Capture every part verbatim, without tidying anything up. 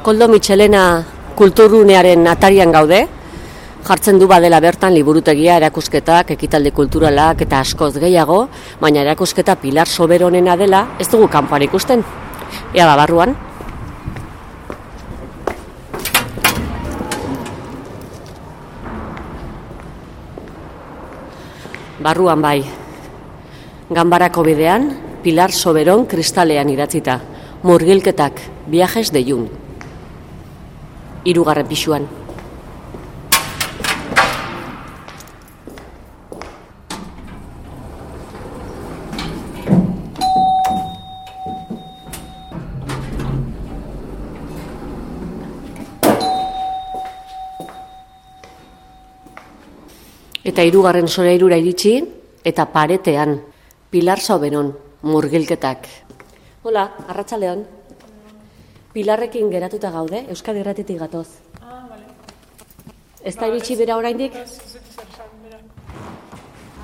Koldo Mitxelena kulturgunearen atarian gaude, jartzen du badela bertan liburutegia, erakusketak, ekitaldi kulturalak eta askoz gehiago, baina erakusketa Pilar Soberonena dela ez dugu kanpoan ikusten. Ea ba, barruan. Barruan bai. Ganbarako bidean, Pilar Soberon kristalean idatzita. Murgilketak, viajes de Jung. Hirugarren pisuan. Eta hirugarren solairura iritsi, eta paretean, Pilar Soberon, murgilketak. Hola, arratsaldeon. Pilarrekin geratuta gaude, Euskadi Irratitik gatoz. Ah, bale. Ez da iritsi bera oraindik?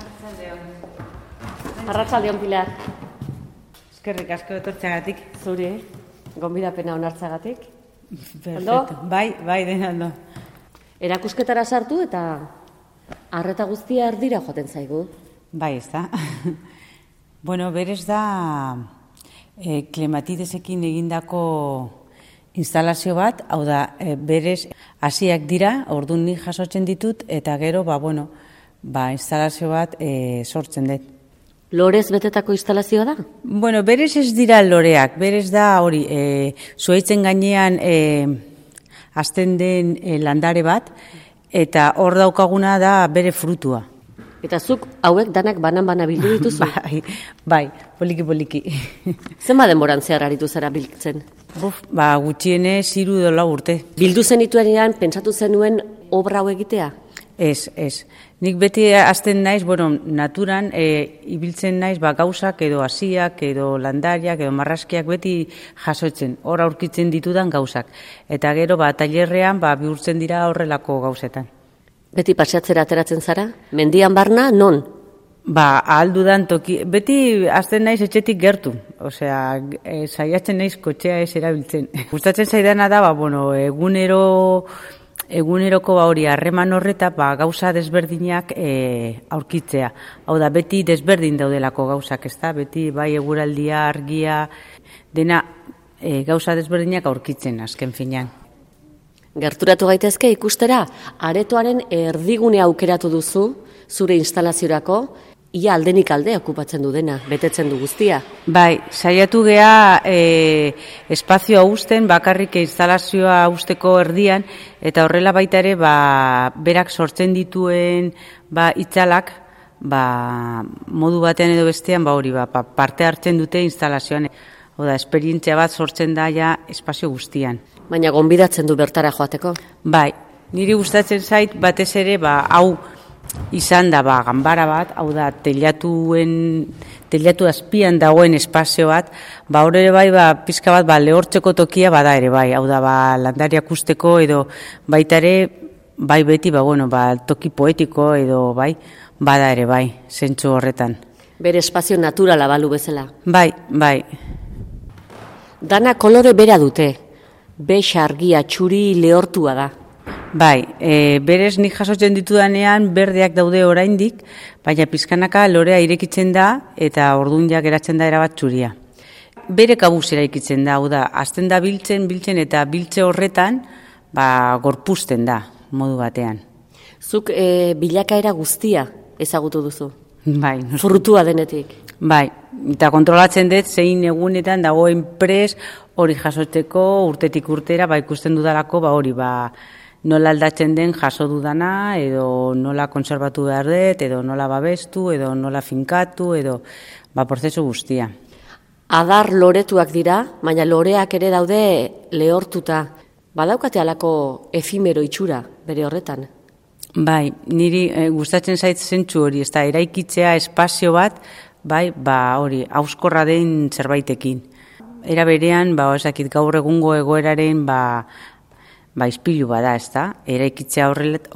Arratsaldeon. Arratsaldeon, Pilar. Eskerrik asko etortzeagatik. Zuri, gonbidapena onartzagatik. Perfecto. Bai, bai, dena ondo. Erakusketara sartu eta arreta guztia erdira joaten zaigu. Bai, ez da. Bueno, berez da e, klematidesekin egindako instalazio bat, hau da, e, berez hasiak dira, orduan nik jasotzen ditut, eta gero, ba, bueno, ba, instalazio bat e, sortzen dut. Lorez betetako instalazioa da? Bueno, berez ez dira loreak, berez da hori, e, zuhaitzen gainean e, azten den e, landare bat, eta hor daukaguna da bere frutua. Eta zuk hauek danak banan-bana bildu dituzu? Bai, bai, poliki-poliki. Zenba denboran zehar aritu zara biltzen? Buf, ba, gutxienez hiru edo lau urte. Bildu zenituenean pentsatu zenuen obra hau egitea? Ez, ez. Nik beti hasten naiz, bueno, naturan e, ibiltzen naiz ba, gauzak edo hasiak edo landariak edo marraskiak beti jasotzen, hor aurkitzen ditudan gauzak. Eta gero ba, tailerrean ba, bihurtzen dira horrelako gauzetan. Beti paseatzera ateratzen zara? Mendian barna, non? Ba, ahaldudan toki, beti hasten naiz etxetik gertu, osea, e, saiatzen naiz kotxea ez erabiltzen. Gustatzen zaidana da, ba, bueno, egunero... Eguneroko ba hori harreman horreta ba, gauza desberdinak e, aurkitzea. Hau da, beti desberdin daudelako gauzak, ezta? Beti bai eguraldia, argia, dena e, gauza desberdinak aurkitzen azken finean. Gerturatu gaitezke ikustera, aretoaren erdigune aukeratu duzu zure instalaziorako, ia aldenik alde okupatzen du dena, betetzen du guztia. Bai, saiatu gea e, espazioa uzten, bakarrik instalazioa uzteko erdian, eta horrela baita ere, ba, berak sortzen dituen ba, itzalak, ba, modu batean edo bestean, ba, hori, ba, parte hartzen dute instalazioan. Oda, esperientzia bat sortzen da ja espazio guztian. Baina gonbidatzen du bertara joateko? Bai, niri gustatzen zait batez ere, ba, hau, izan da ba, ganbara bat, hau da, telatuen, telatu azpian dagoen espazio bat, ba, hor ere bai, ba, pizka bat, ba, lehortzeko tokia bada ere bai, hau da, ba, landariak usteko edo baita ere, bai beti, ba, bueno, ba, toki poetiko edo bai, bada ere bai, zentzu horretan. Bere espazio naturala balu bezala? Bai, bai. Dana kolore bera dute, bex argia txuri lehortua da. Bai, e, berez nik jasotzen ditudanean berdeak daude oraindik, baina pizkanaka lorea irekitzen da eta ordun ja geratzen da erabat txuria. Bere kabuz eraikitzen da, hau da, azten da biltzen, biltzen eta biltze horretan, ba, gorpuzten da, modu batean. Zuk e, bilakaera guztia ezagutu duzu? Bai. Frutua denetik? Bai, eta kontrolatzen dut zein egunetan dagoen pres hori jasotzeko urtetik urtera, ba, ikusten dudalako, ba, hori, ba, nola aldatzen den jaso dudana, edo nola konserbatu behar dut, edo nola babestu, edo nola finkatu, edo ba, prozesu guztia. Adar loretuak dira, baina loreak ere daude lehortuta. Badaukate halako efimero itxura bere horretan? Bai, niri e, gustatzen zait zentzu hori, ez da, eraikitzea espazio bat, bai, ba, hori, hauskorra den zerbaitekin. Era berean, ba, ezakit gaur egungo egoeraren, ba, ba, izpilu bada, ez da, eraikitzea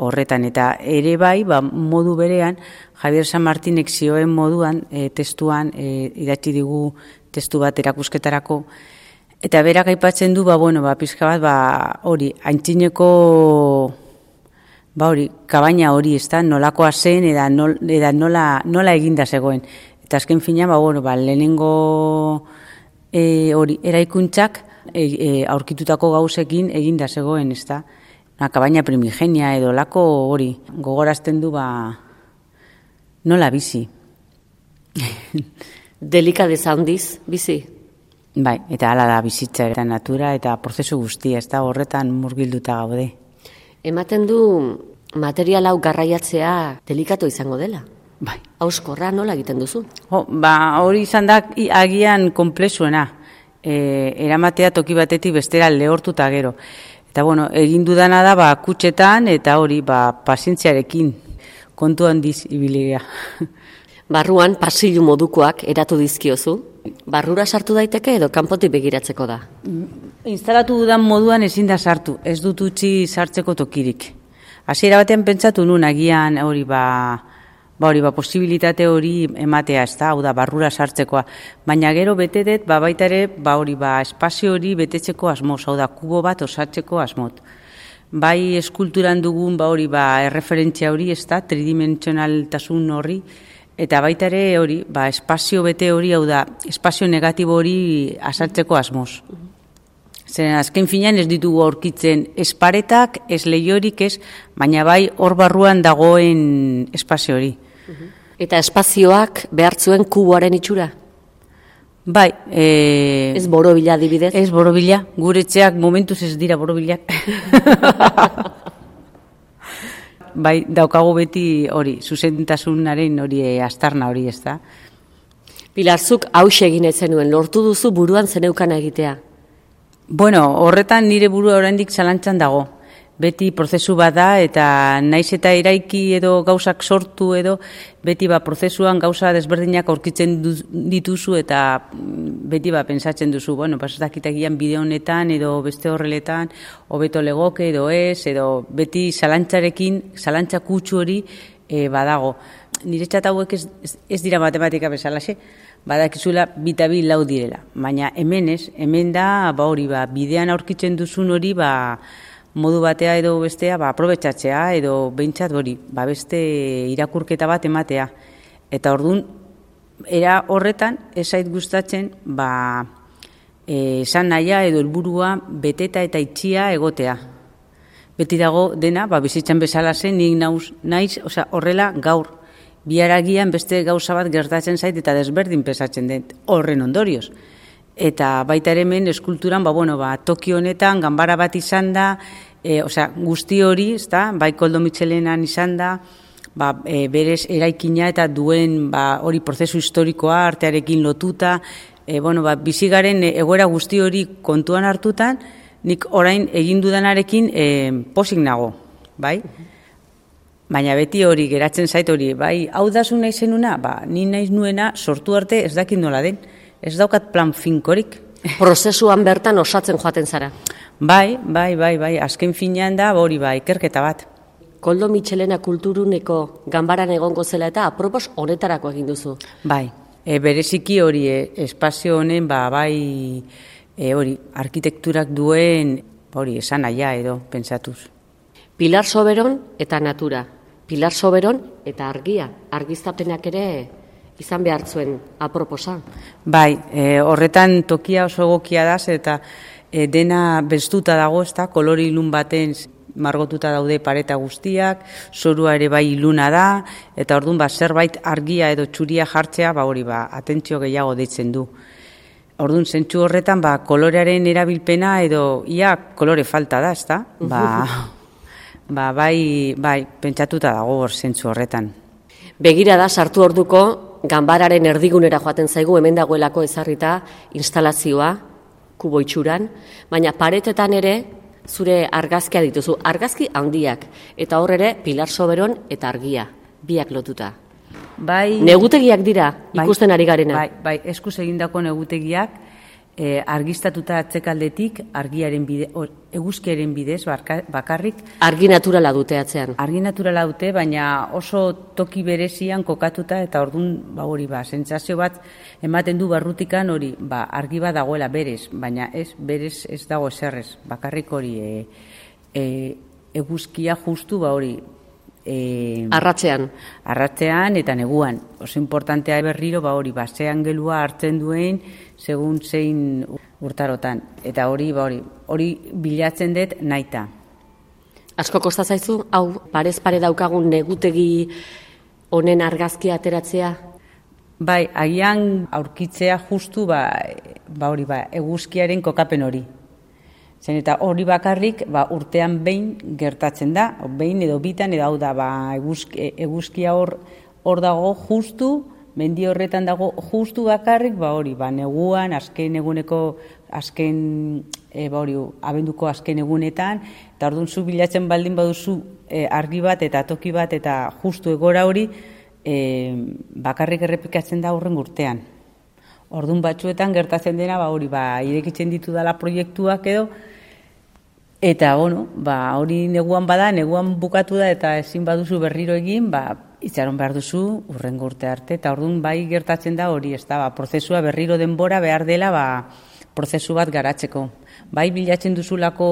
horretan, eta ere bai, ba, modu berean, Javier San Martinek zioen moduan, e, testuan, e, idatzi digu testu bat erakusketarako, Eta berak aipatzen du, ba, bueno, ba, pizka bat, ba, hori, aintzineko, ba, hori, kabaina hori, ez da, nolakoa zen, eda, nol, eda nola, nola eginda zegoen. Eta azken fina, ba, bueno, ba, lehenengo e, hori, eraikuntzak e, e, aurkitutako gauzekin eginda zegoen, ez da. Una kabaina primigenia edo lako hori, gogorazten du, ba, nola bizi. Delikadeza handiz, bizi? Bai, eta hala da bizitza eta natura eta prozesu guztia, ez da horretan murgilduta gaude. Ematen du material hau garraiatzea delikatu izango dela. Bai. Hauskorra nola egiten duzu? Jo, ba, hori izan da agian konplexuena. E, eramatea toki batetik bestera lehortuta gero. Eta bueno, egin dudana da ba, kutxetan eta hori ba, pazientziarekin kontu handiz ibilia. Barruan pasillu modukoak eratu dizkiozu. Barrura sartu daiteke edo kanpotik begiratzeko da? Instalatu dudan moduan ezin da sartu, ez dut utzi sartzeko tokirik. Hasiera batean pentsatu nun agian hori ba, ba hori ba posibilitate hori ematea, ez da, hau da barrura sartzekoa. Baina gero bete dut ba baita ere ba hori ba espazio hori betetzeko asmoz, hau da kubo bat osatzeko asmot. Bai eskulturan dugun ba hori ba erreferentzia hori, ez da, tridimentsionaltasun horri. Eta baita ere hori, ba, espazio bete hori, hau da, espazio negatibo hori azaltzeko asmoz. Zeren azken finean ez ditugu aurkitzen esparetak, ez lehiorik ez, baina bai hor barruan dagoen espazio hori. Eta espazioak behartzuen kuboaren itxura? Bai. E... Ez borobila adibidez? Ez borobila, guretxeak momentuz ez dira borobilak. Bai, daukagu beti hori, zuzentasunaren hori astarna hori, ez da. Pilarzuk hauxe egin ez zenuen, lortu duzu buruan zeneukana egitea? Bueno, horretan nire burua oraindik zalantzan dago. Beti prozesu bat da eta naiz eta eraiki edo gauzak sortu edo beti ba prozesuan gauza desberdinak aurkitzen dituzu eta beti ba pentsatzen duzu, bueno, pas ez dakitagian bide honetan edo beste horreletan hobeto legoke edo ez edo beti zalantzarekin, zalantza kutsu hori e, badago. Niretzat hauek ez, ez, ez dira matematika bezalaxe, badakizula bita bi lau direla, baina hemen ez, hemen da ba hori ba bidean aurkitzen duzun hori ba modu batea edo bestea, ba, aprobetxatzea edo behintzat hori, ba, beste irakurketa bat ematea. Eta orduan, era horretan, esait gustatzen, ba, esan nahia edo helburua beteta eta itxia egotea. Beti dago dena, ba, bizitzan bezala zen, nik nauz, naiz, osea, horrela gaur, biharagian beste gauza bat gertatzen zait eta desberdin pesatzen den horren ondorioz. Eta baita ere hemen eskulturan, ba, bueno, ba, toki honetan, ganbara bat izan da, e, osea, guzti hori, ezta, bai Koldo Mitxelenan izan da, ba, e, berez eraikina eta duen ba, hori prozesu historikoa artearekin lotuta, e, bueno, ba, bizigaren egoera guzti hori kontuan hartutan, nik orain egin dudanarekin e, posik nago, bai? Baina beti hori geratzen zait hori, bai, hau da zu nahi zenuna, ba, ni naiz nuena sortu arte ez dakit nola den. Ez daukat plan finkorik. Prozesuan bertan osatzen joaten zara? Bai, bai, bai, bai, azken finean da, hori bai, ikerketa bat. Koldo Mitxelena kulturuneko ganbaran egongo zela eta apropos honetarako egin duzu? Bai, e, bereziki hori e, espazio honen, ba, bai, e, hori, arkitekturak duen, hori, esan aia edo, pentsatuz. Pilar Soberon eta natura. Pilar Soberon eta argia. Argiztapenak ere izan behar zuen aproposa. Bai, e, horretan tokia oso egokia da, eta e, dena bestuta dago, ez da, kolore ilun baten margotuta daude pareta guztiak, zorua ere bai iluna da, eta orduan ba, zerbait argia edo txuria jartzea, ba hori ba, atentzio gehiago deitzen du. Orduan, zentzu horretan, ba, kolorearen erabilpena edo ia kolore falta da, ez da? Ba, ba, bai, bai, pentsatuta dago hor zentzu horretan. Begira da, sartu orduko, ganbararen erdigunera joaten zaigu, hemen dagoelako ezarrita instalazioa, kubo itxuran, baina paretetan ere zure argazkia dituzu, argazki handiak, eta hor ere Pilar Soberon eta argia, biak lotuta. Bai, negutegiak dira, ikusten ari garena. Bai, bai, eskuz egindako negutegiak, E, argistatuta atzekaldetik argiaren bide, or, eguzkiaren bidez barka, bakarrik. Argi naturala dute atzean. Argi naturala dute, baina oso toki berezian kokatuta eta ordun ba hori ba sentsazio bat ematen du barrutikan hori, ba argi bat dagoela berez, baina ez berez ez dago eserrez, bakarrik hori e, e, eguzkia justu ba hori E, arratzean. Arratzean eta neguan. Oso importantea berriro ba hori basean gelua hartzen duen segun zein urtarotan. Eta hori ba hori hori bilatzen dut naita. Asko kosta zaizu hau parez pare daukagun negutegi honen argazkia ateratzea? Bai, agian aurkitzea justu ba ba hori ba eguzkiaren kokapen hori. Zen eta hori bakarrik ba, urtean behin gertatzen da, behin edo bitan, edo hau da ba, eguzki, eguzkia hor, hor dago justu, mendi horretan dago justu bakarrik, ba hori, ba, neguan, azken eguneko, azken, e, ba hori, abenduko azken egunetan, eta orduan zu bilatzen baldin baduzu e, argi bat eta toki bat eta justu egora hori, e, bakarrik errepikatzen da horren urtean. Orduan batzuetan gertatzen dena, ba hori, ba, irekitzen ditu dala proiektuak edo, eta, bueno, ba, hori neguan bada, neguan bukatu da, eta ezin baduzu berriro egin, ba, itxaron behar duzu urrengo urte arte, eta orduan bai gertatzen da hori, ez da, ba, prozesua berriro denbora behar dela, ba, prozesu bat garatzeko. Bai bilatzen duzulako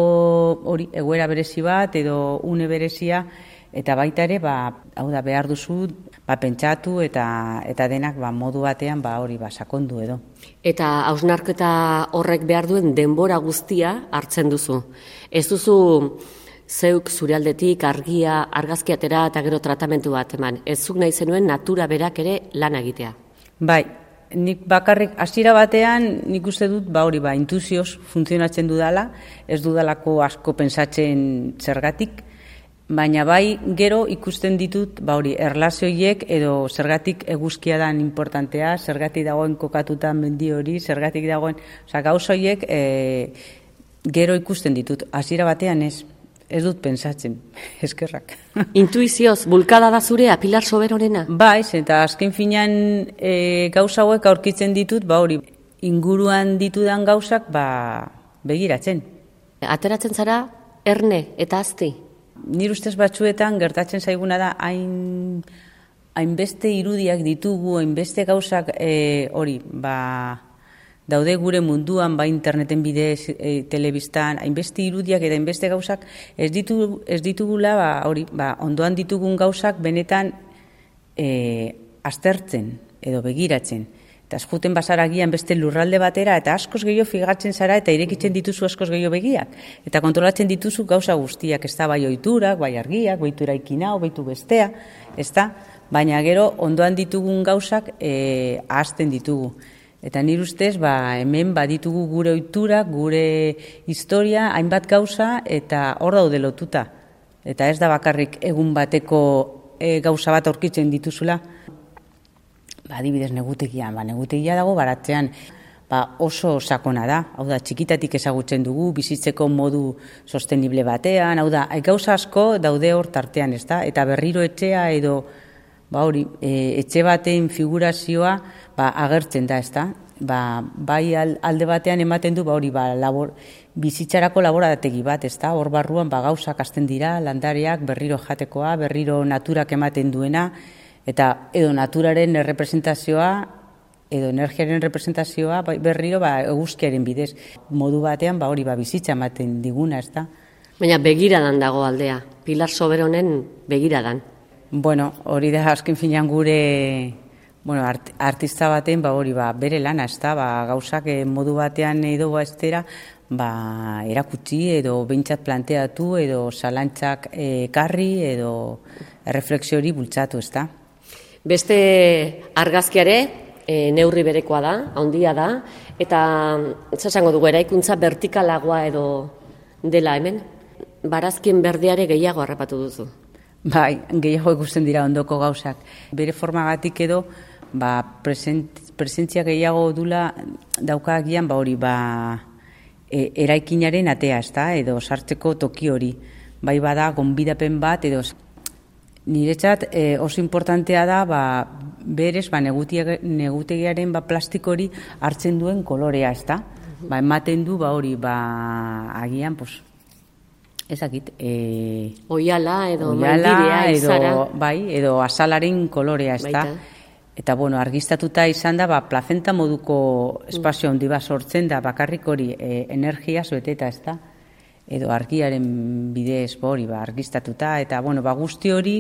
hori egoera berezi bat, edo une berezia, eta baita ere, ba, hau da, behar duzu, ba, pentsatu eta eta denak ba, modu batean ba, hori ba, sakondu edo. Eta hausnarketa horrek behar duen denbora guztia hartzen duzu. Ez duzu zeuk zure aldetik argia, argazkiatera eta gero tratamentu bat eman. Ez zuk nahi zenuen natura berak ere lan egitea. Bai, nik bakarrik hasiera batean nik uste dut ba hori ba intuzioz funtzionatzen dudala, ez dudalako asko pentsatzen zergatik. Baina bai gero ikusten ditut ba hori erlazioiek edo zergatik eguzkia dan importantea, zergatik dagoen kokatuta mendi hori, zergatik dagoen, osea gauza horiek e, gero ikusten ditut. Hasiera batean ez, ez dut pentsatzen, eskerrak. Intuizioz, bulkada da zurea, Pilar Soberorena? Bai, eta azken finean e, gauza hauek aurkitzen ditut, ba hori inguruan ditudan gauzak ba begiratzen. Ateratzen zara erne eta azti? Nire ustez batzuetan gertatzen zaiguna da hain hainbeste irudiak ditugu, hainbeste gauzak e, hori, ba, daude gure munduan, ba, interneten bidez, e, telebistan, hainbeste irudiak eta hainbeste gauzak ez ditugu, ez ditugula, ba, hori, ba, ondoan ditugun gauzak benetan e, aztertzen edo begiratzen. Eta azkuten basaragian beste lurralde batera, eta askoz gehiago figatzen zara, eta irekitzen dituzu askoz gehiago begiak. Eta kontrolatzen dituzu gauza guztiak, ez da bai oiturak, bai argiak, baitu eraikina, baitu bestea, ez da, baina gero ondoan ditugun gauzak e, ahazten ditugu. Eta nire ustez, ba, hemen baditugu gure oiturak, gure historia, hainbat gauza, eta hor daude lotuta. Eta ez da bakarrik egun bateko e, gauza bat aurkitzen dituzula. Ba, adibidez negutegian, ba, negutegia dago baratzean ba, oso sakona da, hau da, txikitatik ezagutzen dugu, bizitzeko modu sostenible batean, hau da, gauza asko daude hor tartean, ez da, eta berriro etxea edo, ba hori, e, etxe baten figurazioa ba, agertzen da, ez da, ba, bai alde batean ematen du, ba hori, ba, labor, bizitzarako laborategi bat, ez da, hor barruan ba, gauzak hasten dira, landareak, berriro jatekoa, berriro naturak ematen duena, eta edo naturaren representazioa, edo energiaren representazioa berriro ba, eguzkiaren bidez. Modu batean ba, hori ba, bizitza ematen diguna, ez da. Baina begiradan dago aldea, Pilar Soberonen begiradan. Bueno, hori da azken finean gure bueno, art, artista baten ba, hori ba, bere lana, ez da, ba, gauzak modu batean edo ba, estera, ba, erakutsi edo behintzat planteatu edo zalantzak ekarri edo erreflexio hori bultzatu, ez da. Beste argazkiare e, neurri berekoa da, handia da, eta esango dugu eraikuntza vertikalagoa edo dela hemen, barazkien berdeare gehiago harrapatu duzu. Bai, gehiago ikusten dira ondoko gauzak. Bere formagatik edo, ba, present, presentzia gehiago dula daukagian, ba hori, ba, e, eraikinaren atea, ez da, edo sartzeko toki hori. Bai bada, gonbidapen bat, edo niretzat e, oso importantea da ba, berez ba, negutegiaren ba, plastikori hartzen duen kolorea, ez da? ba, ematen du, ba, hori, ba, agian, pues, ezakit, e, oiala edo oiala, maindirea, edo, izara. bai, edo azalaren kolorea, ez da. Eta, bueno, argiztatuta izan da, ba, plazenta moduko espazio handi bat sortzen da, bakarrik hori e, energia beteta, ez da. Edo argiaren bidez, ba, hori, ba, argiztatuta, eta, bueno, ba, guzti hori,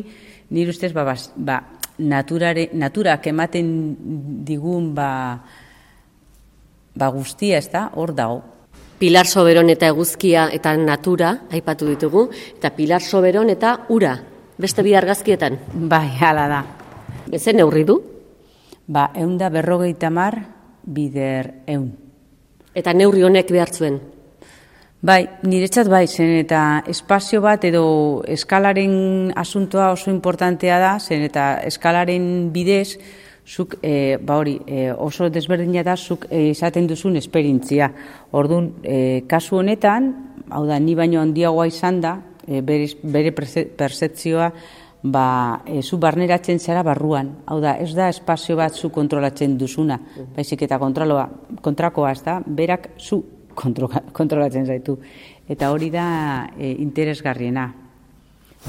nire ustez, ba, ba, naturare, naturak ematen digun, ba, ba, guztia, ez da, hor dago. Pilar Soberon eta eguzkia eta natura, aipatu ditugu, eta Pilar Soberon eta ura, beste bi argazkietan. Bai, hala da. Ezen neurri du? Ba, eun da berrogeita mar, bider eun. Eta neurri honek behar zuen? Bai, niretzat bai, zen eta espazio bat edo eskalaren asuntoa oso importantea da, zen eta eskalaren bidez, zuk, e, ba hori, e, oso desberdina da, zuk e, izaten duzun esperientzia. Orduan, e, kasu honetan, hau da, ni baino handiagoa izan da, e, bere, bere percepzioa, ba, e, zu barneratzen zara barruan. Hau da, ez da espazio bat zu kontrolatzen duzuna, baizik eta kontroloa, kontrakoa, ez da, berak zu kontrolatzen zaitu. Eta hori da e, interesgarriena.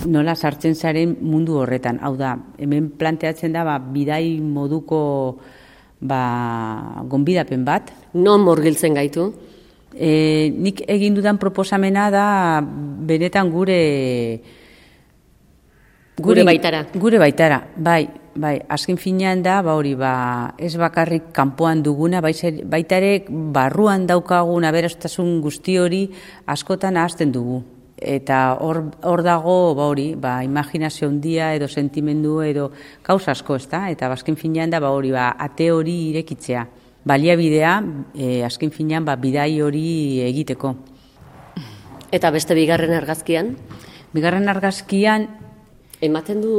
Nola sartzen zaren mundu horretan. Hau da, hemen planteatzen da, ba, bidai moduko ba, gonbidapen bat. Non murgiltzen gaitu? E, nik egin dudan proposamena da benetan gure... Gure baitara. Gure baitara, bai. Bai, azken finean da, ba hori, ba, ez bakarrik kanpoan duguna, baita ere barruan daukagun aberastasun guzti hori askotan ahazten dugu. Eta hor, hor dago, ba hori, ba, imaginazio handia edo sentimendu edo kausa asko, ez da? Eta azken finean da, ba hori, ba, ate hori irekitzea. Baliabidea, e, azken finean, ba, bidai hori egiteko. Eta beste bigarren argazkian? Bigarren argazkian... Ematen du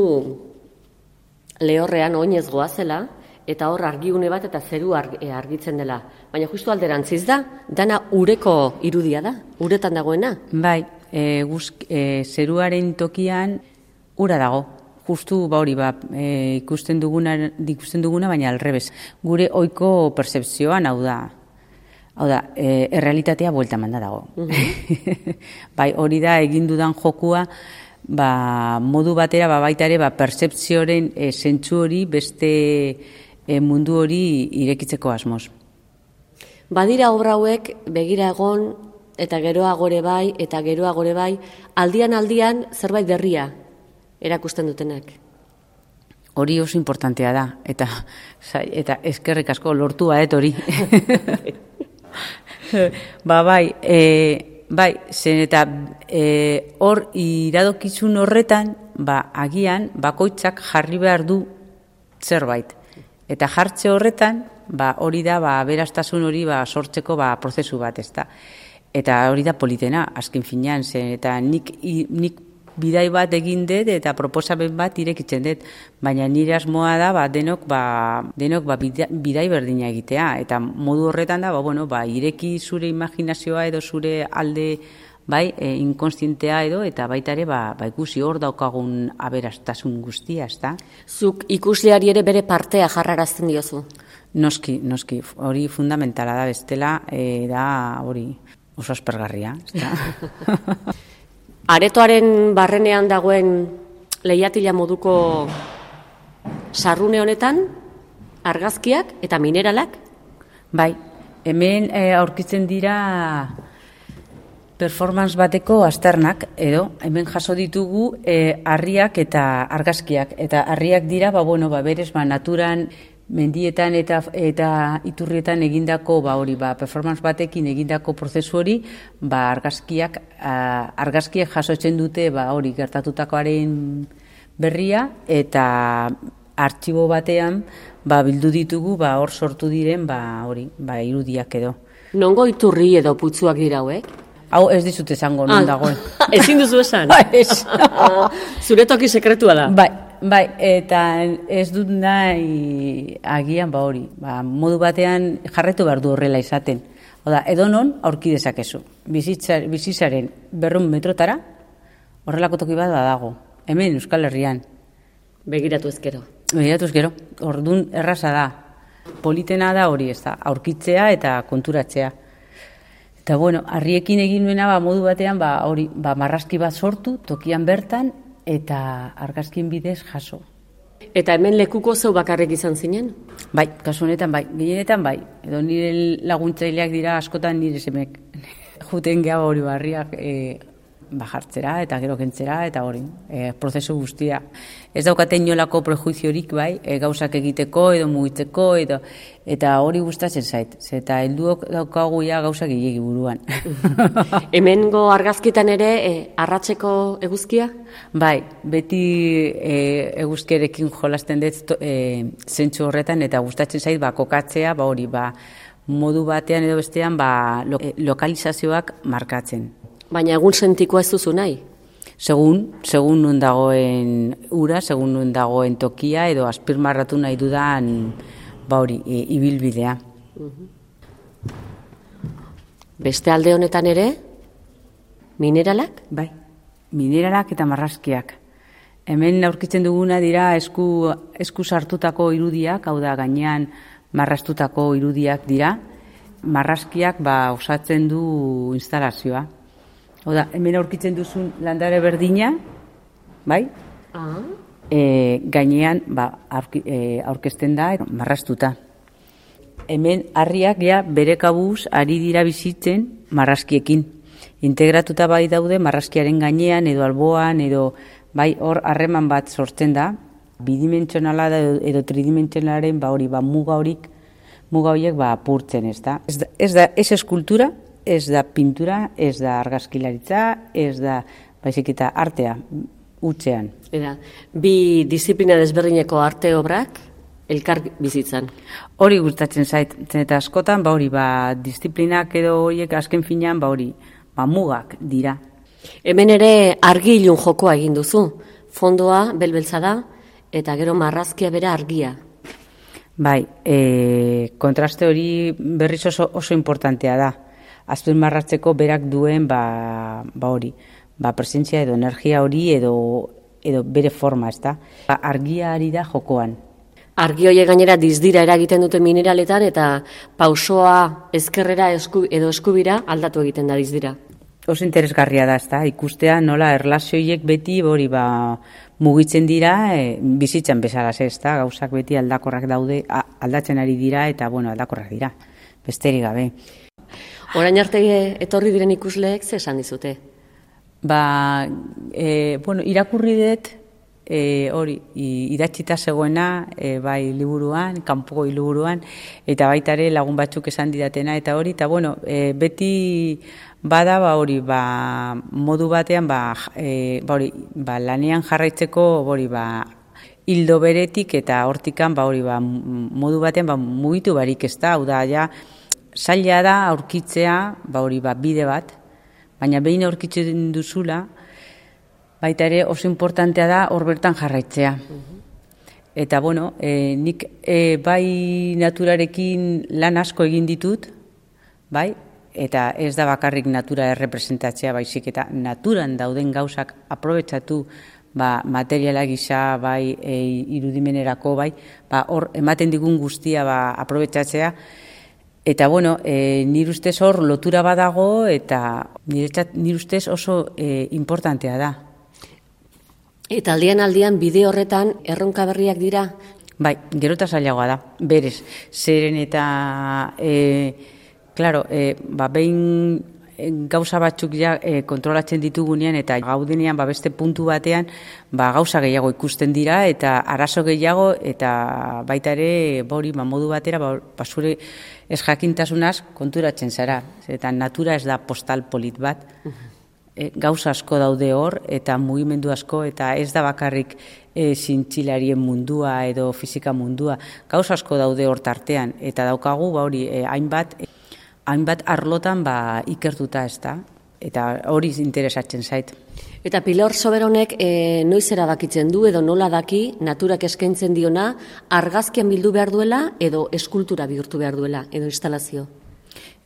lehorrean oinez goazela, eta hor argiune bat eta zeru argitzen dela. Baina justu alderantziz da, dana ureko irudia da, uretan dagoena? Bai, e, guzk, e, zeruaren tokian ura dago. Justu ba hori, ba, e, ikusten duguna, ikusten duguna, baina alrebez. Gure ohiko percepzioan, hau da, hau da, e, errealitatea buelta manda dago. Uh-huh. Bai, hori da egin dudan jokua, ba, modu batera ba, baita ere ba, percepzioaren e, zentzu hori beste e, mundu hori irekitzeko asmoz. Badira obra hauek begira egon eta geroagore bai eta geroagore bai aldian aldian zerbait berria erakusten dutenak. Hori oso importantea da eta eta eskerrik asko lortua et hori. Ba bai, eh bai, zen eta e, hor iradokizun horretan, ba, agian, bakoitzak jarri behar du zerbait. Eta jartze horretan, ba, hori da, ba, aberastasun hori ba, sortzeko ba, prozesu bat, ez da. Eta hori da politena, azken finean, zen, eta nik, i, nik bidai bat egin dut eta proposamen bat irekitzen dut, baina nire asmoa da ba, denok, ba, denok ba, bidai berdina egitea, eta modu horretan da, ba, bueno, ba, ireki zure imaginazioa edo zure alde bai, e, inkonstientea edo, eta baita ere ba, ba, ikusi hor daukagun aberastasun guztia, ez da? Zuk ikusleari ere bere partea jarrarazten diozu? Noski, noski, hori fundamentala da bestela, e, da hori oso aspergarria, ez da? Aretoaren barrenean dagoen lehiatila moduko sarrune honetan, argazkiak eta mineralak? Bai, hemen e, aurkitzen dira performance bateko azternak, edo hemen jaso ditugu e, harriak eta argazkiak. Eta harriak dira, ba, bueno, ba, berez, ba, naturan, mendietan eta eta iturrietan egindako ba hori ba performance batekin egindako prozesu hori ba argazkiak argazkiek jasotzen dute ba hori gertatutakoaren berria eta artxibo batean ba bildu ditugu ba hor sortu diren ba hori ba irudiak edo. Nongo iturri edo putzuak dira hauek? Hau ez dizut esango non dagoen. Ezin duzu esan? Ez. Zure toki sekretua da? Bai, bai, eta ez dut nahi agian ba hori. Ba, modu batean jarretu behar du horrela izaten. Oda, edonon aurki dezakezu. Bizitzaren berrehun metrotara horrelako toki bat badago. Hemen Euskal Herrian. Begiratu ezkero. Begiratu ezkero. Ordun erraza da. Politena da hori ez da. Aurkitzea eta konturatzea. Eta bueno, harriekin egin nuena ba, modu batean ba, hori, ba, marrazki bat sortu, tokian bertan, eta argazkien bidez jaso. Eta hemen lekuko zeu bakarrik izan zinen? Bai, kasu honetan bai, gehienetan bai. Edo nire laguntzaileak dira askotan nire semek. Juten geha hori barriak e, bajartzera eta gero kentzera eta hori, e, prozesu guztia. Ez daukate inolako prejuiziorik bai, e, gauzak egiteko edo mugitzeko edo, eta hori gustatzen zait. Eta helduok daukagu ja gauzak egiki buruan. Hemengo argazkitan ere e, arratseko eguzkia? Bai, beti e, eguzkiarekin jolasten dut e, zentsu horretan eta gustatzen zait ba, kokatzea, ba hori, ba, modu batean edo bestean ba, lo, e, lokalizazioak markatzen. Baina egun sentikoa ez duzu nahi? Segun, segun nun dagoen ura, segun nun dagoen tokia edo azpirmarratu nahi dudan ba hori, e, ibilbidea. Beste alde honetan ere, mineralak? Bai, mineralak eta marrazkiak. Hemen aurkitzen duguna dira esku, esku sartutako irudiak, hau da gainean marraztutako irudiak dira. Marrazkiak ba, osatzen du instalazioa. Oda, hemen aurkitzen duzun landare berdina, bai? Ah. E, gainean ba, aurki, e, aurkezten da marraztuta. Hemen harriak ja bere kabuz ari dira bizitzen marrazkiekin. Integratuta bai daude marrazkiaren gainean edo alboan edo bai hor harreman bat sortzen da. Bidimentsionala edo, edo tridimentsionalaren ba hori ba muga horik muga horiek ba apurtzen, ez da. Ez da, ez da ez eskultura, ez da pintura, ez da argazkilaritza, ez da baizik eta artea hutsean. Era, bi disiplina desberdineko arte obrak elkar bizitzan. Hori gustatzen zait, eta askotan ba hori ba disiplinak edo horiek azken finean ba hori ba mugak dira. Hemen ere argi ilun jokoa egin duzu. Fondoa belbeltza da eta gero marrazkia bera argia. Bai, e, kontraste hori berriz oso, oso importantea da. Azpimarratzeko berak duen ba, ba hori, ba presentzia edo energia hori edo, edo bere forma, ez da. Ba, argia ari da jokoan. Argi horiek gainera dizdira eragiten dute mineraletan eta pausoa ezkerrera esku, edo eskubira aldatu egiten da dizdira. Oso interesgarria da, ez da, ikustea nola erlazioiek beti hori ba mugitzen dira, e, bizitzan bezalaz, ez da, gauzak beti aldakorrak daude, a, aldatzen ari dira eta bueno, aldakorrak dira, besterik gabe. Orain arte etorri diren ikusleek ze esan dizute? Ba, e, bueno, irakurri dut, e, hori, idatzita zegoena, e, bai liburuan, kanpoko liburuan, eta baita ere lagun batzuk esan didatena, eta hori, eta bueno, e, beti bada, ba hori, ba, modu batean, ba, e, ba hori, ba, lanean jarraitzeko, hori, ba, hildo beretik, eta hortikan, ba hori, ba, modu batean, ba, mugitu barik ez da, hau da, ja, zaila da aurkitzea, ba hori, ba, bide bat, baina behin aurkitzen duzula, baita ere oso importantea da hor bertan jarraitzea. Eta bueno, e, nik e, bai naturarekin lan asko egin ditut, bai, eta ez da bakarrik natura errepresentatzea, baizik eta naturan dauden gauzak aprobetxatu, ba, materiala gisa, bai, e, irudimenerako, bai, ba, hor ematen digun guztia ba, aprobetxatzea. Eta bueno, e, nire ustez hor lotura badago eta nire, nire ustez oso e, importantea da. Eta aldian aldian bide horretan erronka berriak dira? Bai, gero eta zailagoa da, berez. Zeren eta, e, claro, e, ba, behin gauza batzuk ja e, kontrolatzen ditugunean eta gaudenean ba, beste puntu batean ba, gauza gehiago ikusten dira eta arazo gehiago eta baita ere bori ba, modu batera ba, ba, zure ez jakintasunaz konturatzen zara. Eta natura ez da postal polit bat. E, gauza asko daude hor eta mugimendu asko eta ez da bakarrik e, zintzilarien mundua edo fisika mundua. Gauza asko daude hor tartean eta daukagu ba, hori e, hainbat hainbat arlotan ba, ikertuta ez da, eta hori interesatzen zait. Eta Pilar Soberonek e, noiz erabakitzen du edo nola daki naturak eskaintzen diona argazkian bildu behar duela edo eskultura bihurtu behar duela edo instalazio?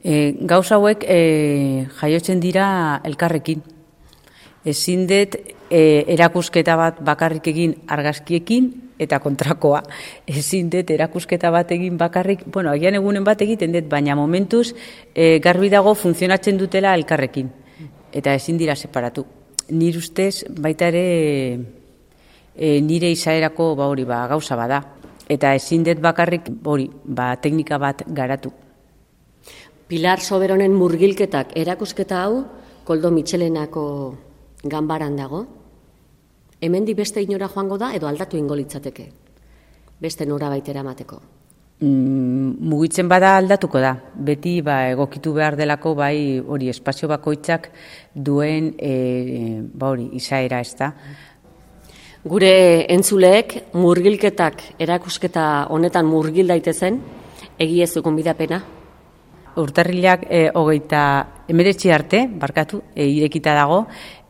E, gauza hauek e, jaiotzen dira elkarrekin. Ezin dut e, erakusketa bat bakarrik egin argazkiekin eta kontrakoa. Ezin dut erakusketa bat egin bakarrik, bueno, agian egunen bat egiten dut, baina momentuz e, garbi dago funtzionatzen dutela elkarrekin. Eta ezin dira separatu. Nire ustez baita ere e, nire izaerako ba hori ba gauza bada. Eta ezin dut bakarrik hori ba teknika bat garatu. Pilar Soberonen murgilketak erakusketa hau Koldo Mitxelenako ganbaran dago. Hemendik beste inora joango da edo aldatu ingo litzateke? Beste norabaitera emateko. Mm, mugitzen bada aldatuko da. Beti ba egokitu behar delako bai hori espazio bakoitzak duen e, ba hori izaera, ezta. Gure entzuleek murgilketak erakusketa honetan murgil daitezen, egi ez dukun bidapena? Urtarrilak e, hogeita hemeretzi arte, barkatu, e, irekita dago,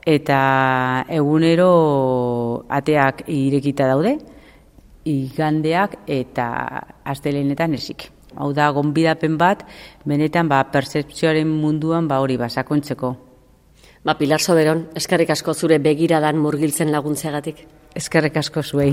eta egunero ateak irekita daude, igandeak eta astelehenetan ezik. Hau da, gonbidapen bat, benetan ba, pertzepzioaren munduan ba, hori ba, sakontzeko. Ba, Pilar Soberon, eskerrik asko zure begiradan murgiltzen laguntzeagatik. Eskerrik asko zuei.